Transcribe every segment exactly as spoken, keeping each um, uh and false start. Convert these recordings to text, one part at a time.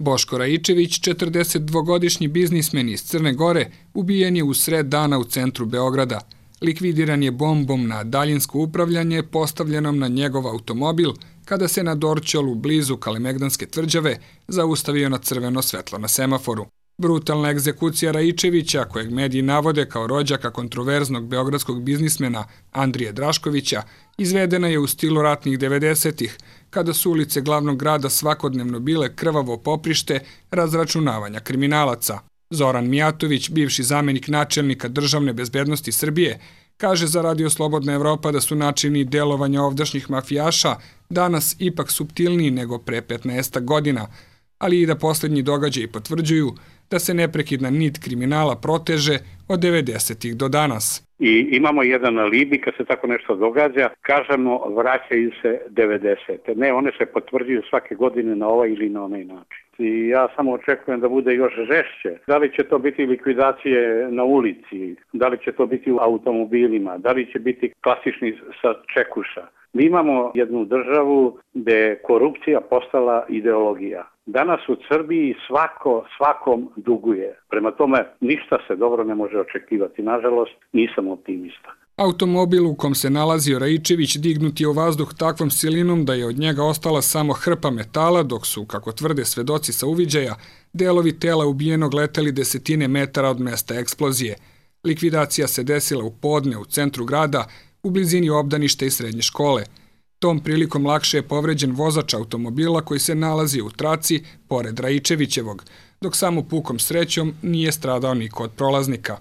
Boško Raičević, četrdesetdvogodišnji biznismen iz Crne Gore, ubijen je u sred dana u centru Beograda. Likvidiran je bombom na daljinsko upravljanje postavljenom na njegov automobil kada se na Dorćolu blizu Kalemegdanske tvrđave zaustavio na crveno svetlo na semaforu. Brutalna egzekucija Raičevića, kojeg mediji navode kao rođaka kontroverznog beogradskog biznismena Andrije Draškovića, izvedena je u stilu ratnih devedesetih, kada su ulice glavnog grada svakodnevno bile krvavo poprište razračunavanja kriminalaca. Zoran Mijatović, bivši zamenik načelnika državne bezbednosti Srbije, kaže za Radio Slobodna Evropa da su načini delovanja ovdašnjih mafijaša danas ipak suptilniji nego pre petnaest godina, ali i da posljednji događaji potvrđuju da se neprekidna nit kriminala proteže od devedesetih do danas. I imamo jedan alibi kad se tako nešto događa, kažemo vraćaju se devedesete. Ne, one se potvrđuju svake godine na ovaj ili na onaj način. I ja samo očekujem da bude još žešće. Da li će to biti likvidacije na ulici, da li će to biti u automobilima, da li će biti klasični sačekuša. Mi imamo jednu državu gde je korupcija postala ideologija. Danas u Srbiji svako svakom duguje. Prema tome ništa se dobro ne može očekivati. Nažalost, nisam optimista. Automobil u kom se nalazio Raičević dignut je u vazduh takvom silinom da je od njega ostala samo hrpa metala, dok su, kako tvrde svedoci sa uviđaja, delovi tela ubijenog leteli desetine metara od mesta eksplozije. Likvidacija se desila u podne u centru grada, u blizini obdaništa i srednje škole. Tom prilikom lakše je povređen vozač automobila koji se nalazi u traci pored Raičevićevog, dok samo pukom srećom nije stradao niko od prolaznika.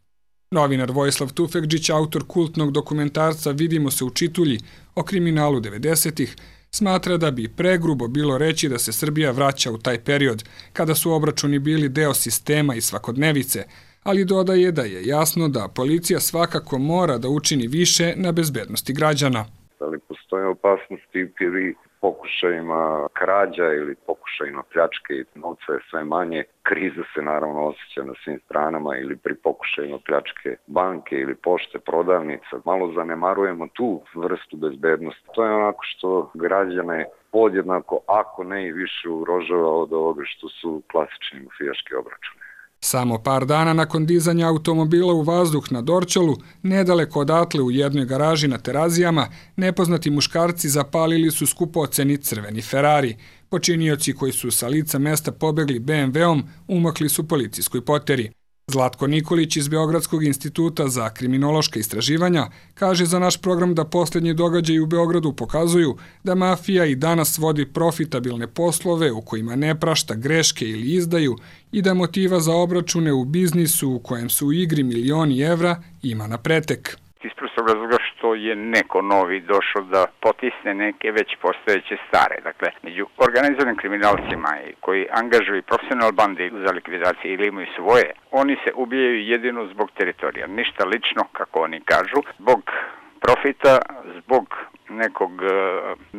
Novinar Vojislav Tufekđić, autor kultnog dokumentarca Vidimo se u Čitulji o kriminalu devedesetih, smatra da bi pregrubo bilo reći da se Srbija vraća u taj period, kada su obračuni bili deo sistema i svakodnevice, ali dodaje da je jasno da policija svakako mora da učini više na bezbednosti građana. Ali postoje opasnosti pri pokušajima krađa ili pokušajima pljačke i novca je sve manje. Kriza se naravno osjeća na svim stranama ili pri pokušajima pljačke banke ili pošte, prodavnica. Malo zanemarujemo tu vrstu bezbednosti. To je onako što građane podjednako, ako ne i više, ugrožava od ovoga što su klasični mafijaški obračuni. Samo par dana nakon dizanja automobila u vazduh na Dorćolu, nedaleko odatle u jednoj garaži na Terazijama, nepoznati muškarci zapalili su skupoceni crveni Ferrari. Počinioci koji su sa lica mesta pobegli be em veom umakli su policijskoj poteri. Zlatko Nikolić iz Beogradskog instituta za kriminološka istraživanja kaže za naš program da posljednji događaji u Beogradu pokazuju da mafija i danas vodi profitabilne poslove u kojima ne prašta greške ili izdaju i da motiva za obračune u biznisu u kojem su u igri milioni evra ima na pretek. Iz prostog razloga što je neko novi došao da potisne neke već postojeće stare. Dakle, među organizovanim kriminalcima koji angažuju profesional bande za likvidacije ili imaju svoje, oni se ubijaju jedino zbog teritorija. Ništa lično, kako oni kažu, zbog profita, zbog nekog uh,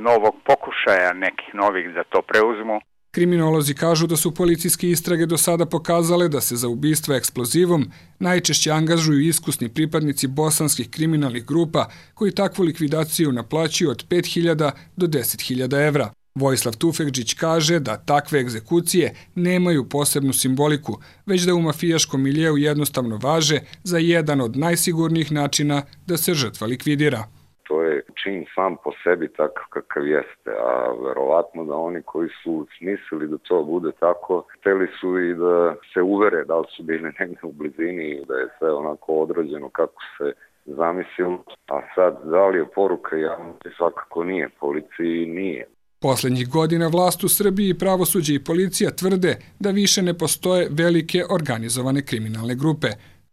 novog pokušaja, nekih novih da to preuzmu. Kriminolozi kažu da su policijske istrage do sada pokazale da se za ubistva eksplozivom najčešće angažuju iskusni pripadnici bosanskih kriminalnih grupa koji takvu likvidaciju naplaćuju od pet hiljada do deset hiljada evra. Vojislav Tufekđić kaže da takve egzekucije nemaju posebnu simboliku, već da u mafijaškom miljeu jednostavno važe za jedan od najsigurnijih načina da se žrtva likvidira. To je čin sam po sebi takav kakav jeste, a verovatno da oni koji su smislili da to bude tako, hteli su i da se uvere da li su bili negdje u blizini, da je sve onako odrađeno kako se zamislilo, a sad da li je poruka javnosti, svakako nije, policiji nije. Poslednjih godina vlast u Srbiji, pravosuđe i policija tvrde da više ne postoje velike organizovane kriminalne grupe.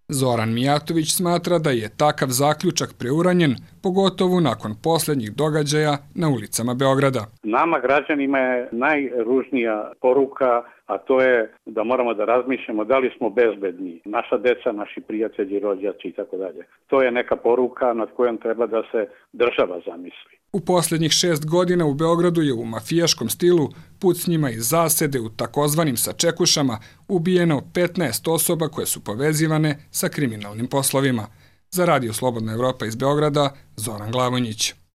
Zoran Mijatović smatra da je takav zaključak preuranjen, pogotovo nakon posljednjih događaja na ulicama Beograda. Nama građanima je najružnija poruka, a to je da moramo da razmišljamo da li smo bezbedni. Naša deca, naši prijatelji, rođaci i tako dalje. To je neka poruka nad kojom treba da se država zamisli. U posljednjih šest godina u Beogradu je u mafijaškom stilu pucnjima iz zasede u takozvanim sačekušama ubijeno petnaest osoba koje su povezivane sa kriminalnim poslovima. Za Radio Slobodna Evropa iz Beograda, Zoran Glavonjić.